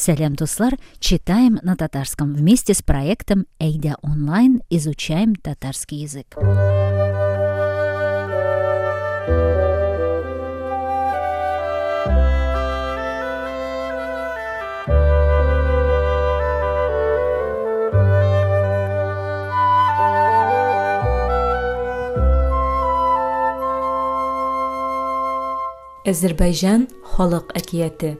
Сәлам, дуслар! Читаем на татарском вместе с проектом Әйдә онлайн изучаем татарский язык. Әзербайҗан халык әкияте.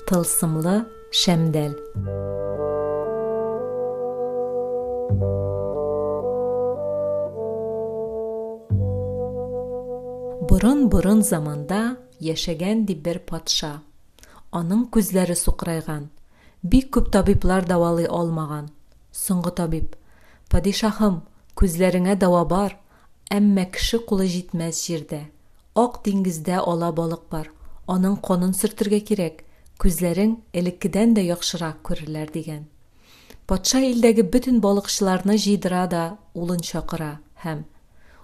Тылсымлы шәмдәл. Борын-борын заманда яшәгән ди бер патша. Аның күзләре сукырайган. Бик күп табиблар дәвалый алмаган. Соңгы табиб, Падишаһым, күзләреңә дәва бар, әмма кеше кулы җитмәс җирдә. Ак диңгездә ала балык бар, аның канын сөртергә кирәк, күзләрең элеккедән дә яхшырак күрерләр, дигән. Патша илдәге бөтен балыкчыларны җыйдыра да улын чакыра һәм,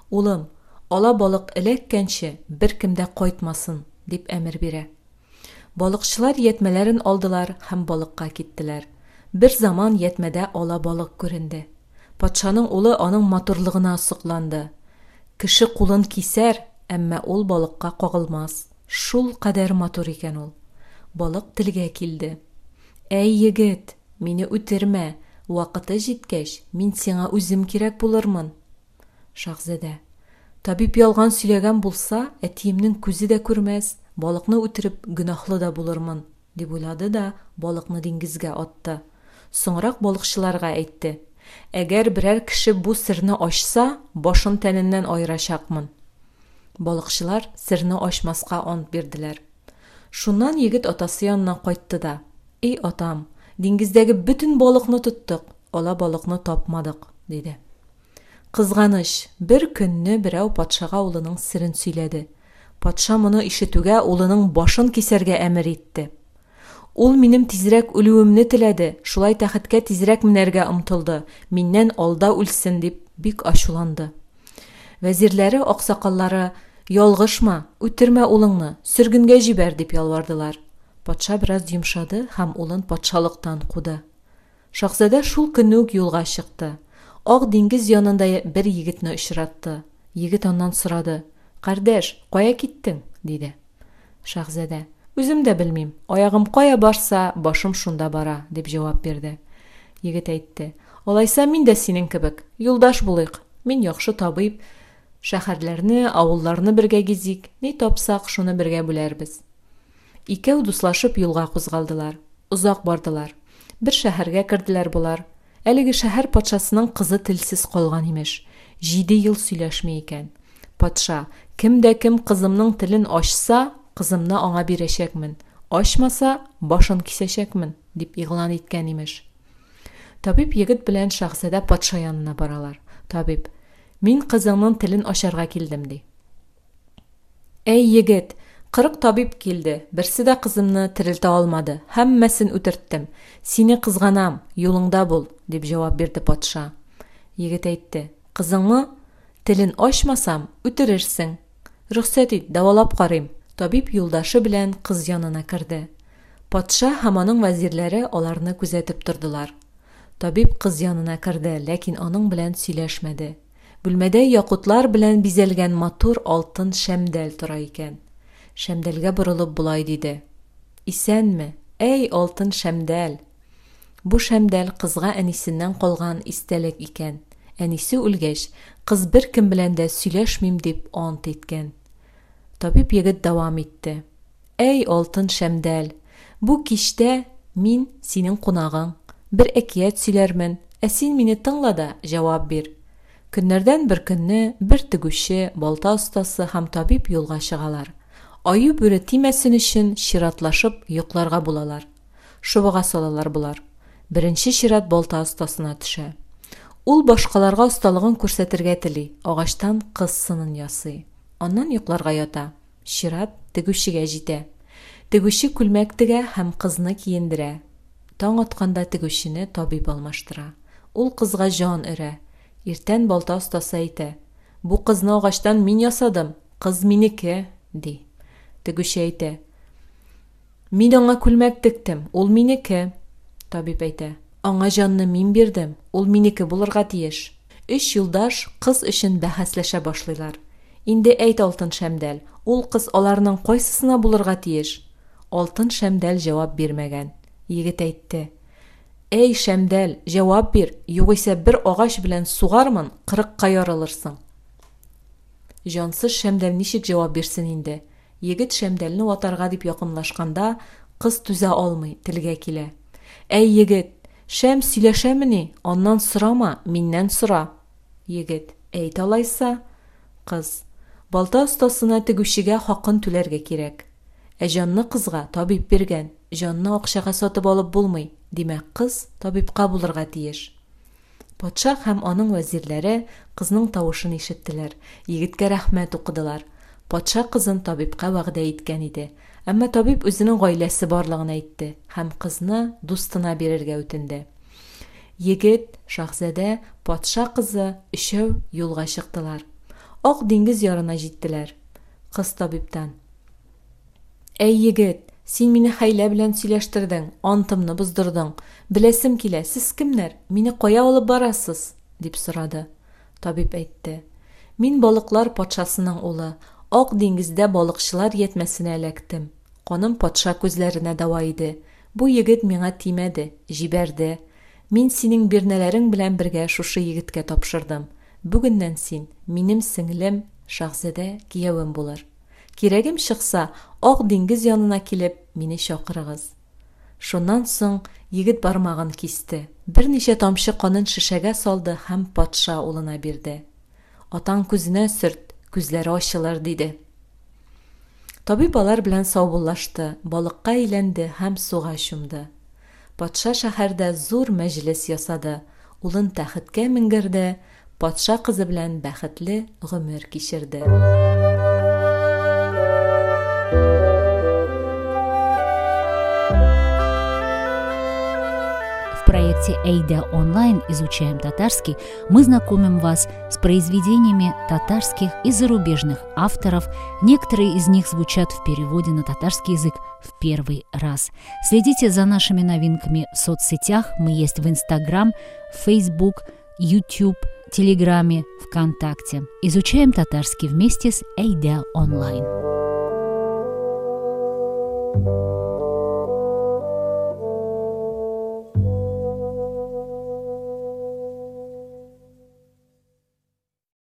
Улым, ала балык эләккәнче, беркем дә кайтмасын, дип әмер бирә. Балыкчылар ятьмәләрен алдылар һәм балыкка киттеләр. Берзаман ятьмәдә ала балык күренде. Патшаның улы аның матурлыгына сокланды. Кеше кулын кисәр, әмма ул балыкка кагылмас. Шул кадәр матур икән ул. Балык телгә килде. Әй, егет, мине үтермә, вакыты җиткәч, мин сиңа үзем кирәк булырмын. Шаһзадә. Табиб ялган сөйләгән булса, әтиемнең күзе дә күрмәс, балыкны үтереп, гөнаһлы да булырмын, дип уйлады да балыкны диңгезгә атты. Соңрак балыкчыларга әйтте, Әгәр берәр кеше бу серне ачса, башын тәненнән аерачакмын. Балыкчылар серне ачмаска ант бирделәр. Шуннан егет атасы янына кайтты да, Эй, атам, диңгездәге бөтен балыкны тоттык, ала балыкны тапмадык, диде. Кызганыч, бер көнне берәү патшага улының серен сөйләде. Патша моны ишетүгә улының башын кисәргә әмер итте. Ул минем тизрәк үлүемне теләде, шулай тәхеткә тизрәк менәргә омтылды, миннән алда үлсен дип бик ачуланды. Вәзирләре, аксакаллары, Ялгышма, үтермә улыңны, сөргенгә җибәр, дип ялвардылар. Патша бераз йомшады һәм улын патшалыктан куды. Шаһзадә шул көнне үк юлга чыкты. Ак диңгез янында бер егетне очратты. Егет аннан сорады, Кардәш, кая киттең? диде. Шаһзадә, Үзем дә белмим, аягым кая барса, башым шунда бара, дип җавап бирде. Егет әйтте, Алайса мин дә синең кебек, юлдаш булыйк. Мин яхшы табиб, шәһәрләрне, авылларны бергә гизик, ни тапсак, шуны бергә бүләрбез. Икәү дуслашып юлга кузгалдылар. Озак бардылар. Бер шәһәргә керделәр болар. Әлеге шәһәр патшасының кызы телсез калган, имеш. Җиде ел сөйләшми икән. Патша, Кем дә кем кызымның телен ачса, кызымны аңа бирәчәкмен, ачмаса, башын кисәчәкмен, дип игълан иткән, имеш. Табиб егет белән шаһзадә патша янына баралар. Табиб, Мин кызыңның телен ачарга килдем, ди. Әй, егет, 40 табиб килде, берсе дә кызымны терелтә алмады, һәммәсен үтерттем. Сине кызганам, юлыңда бул, дип җавап бирде патша. Егет әйтте, Кызыңны телен ачмасам, үтерерсең. Рөхсәт ит, дәвалап карыйм. Табиб юлдашы белән кыз янына керде. Патша һәм аның вәзирләре аларны күзәтеп тордылар. Табиб кыз янына керде, ләкин аның белән сөйләшмәде. Бүлмәдә якутлар белән бизәлгән матур алтын шәмдәл тора икән. Шәмдәлгә борылып болай диде. Исәнме, әй, алтын шәмдәл! Бу шәмдәл кызга әнисеннән калган истәлек икән. Әнисе үлгәч, кыз беркем белән дә сөйләшмим дип ант иткән. Табиб егет дәвам итте. Әй, алтын шәмдәл! Бу кичтә мин, синең кунагың. Бер әкият сөйләрмен, ә син мине тыңла да җавап бир. Көннәрдән бер көнне бер тегүче, балта остасы һәм табиб юлга чыгалар. Аю-бүре тимәсен өчен чиратлашып йокларга булалар. Шобага салалар болар. Беренче чират балта остасына төшә. Ул башкаларга осталыгын күрсәтергә тели, агачтан кыз сынын ясый. Аннан йокларга ята. Чират тегүчегә җитә. Тегүче күлмәк тегә һәм кызны киендерә. Таң атканда тегүчене табиб алмаштыра. Ул кызга җан өрә. Иртән балта остасы әйтә, Бу кызны агачтан мин ясадым, кыз минеке, ди. Тегүче әйтә, Мин аңа күлмәк тектем, ул минеке. Табиб әйтә. Аңа җанны мин бирдем, ул минеке булырга тиеш. Өч юлдаш кыз өчен бәхәсләшә башлыйлар. Инде әйт, Алтын Шәмдәл, ул кыз аларның кайсысына булырга тиеш? Алтын Шәмдәл җавап бирмәгән. Егет әйтте. Әй, Шәмдәл, җавап бир, югыйсә бер агач белән сугармын, кырыкка ярылырсың. Җансыз Шәмдәл ничек җавап бирсен инде? Егет Шәмдәлне ватарга дип якынлашканда, кыз түзә алмый, телгә килә. Әй, егет, шәм сөйләшәмени? Аннан сорама, миннән сора. Егет, әйт алайса. Кыз, балта остасына тегүчегә хакын түләргә кирәк. Ә җанны кызга табиб биргән, җанны акчага сатып алып булмый, димәк, кыз табибка булырга тиеш. Патша һәм аның вәзирләре кызның тавышын ишеттеләр, егеткә рәхмәт укыдылар. Патша кызын табибка вәгъдә иткән иде. Әмма табиб үзенең гаиләсе барлыгын әйтте һәм кызны дустына бирергә үтенде. Егет, шаһзадә, патша кызы өчәү юлга чыктылар. Ак диңгез ярына җиттеләр. Кыз табибтан. Әй, егет, син мине хәйлә белән сөйләштердең, антымны боздырдың. Беләсем килә, сез кемнәр, мине кая алып барасыз? дип сорады. Табиб әйтте. Мин балыклар патшасының улы. Ак диңгездә балыкчылар ятьмәсенә эләктем. Каным патша күзләренә дәва иде. Бу егет миңа тимәде, җибәрде. Мин синең бирнәләрең белән бергә шушы егеткә тапшырдым. Бүгеннән син, минем сеңлем, шаһзадә киявем булыр. Кирәгем чыкса, Ак диңгез янына килеп, мине чакырыгыз. Шуннан соң егет бармагын кисте. Берничә тамчы канын шешәгә салды һәм патша улына бирде. Атаң күзенә сөрт, күзләре ачылыр, диде. Табиб алар белән саубуллашты, балыкка әйләнде һәм суга чумды. Патша шәһәрдә зур мәҗлес ясады, улын тәхеткә менгерде, патша кызы белән бәхетле гомер кичерде. В проекте «Эйда онлайн. Изучаем татарский» мы знакомим вас с произведениями татарских и зарубежных авторов. Некоторые из них звучат в переводе на татарский язык в первый раз. Следите за нашими новинками в соцсетях. Мы есть в Инстаграм, Фейсбук, YouTube, Телеграме, ВКонтакте. Изучаем татарский вместе с Эйда онлайн.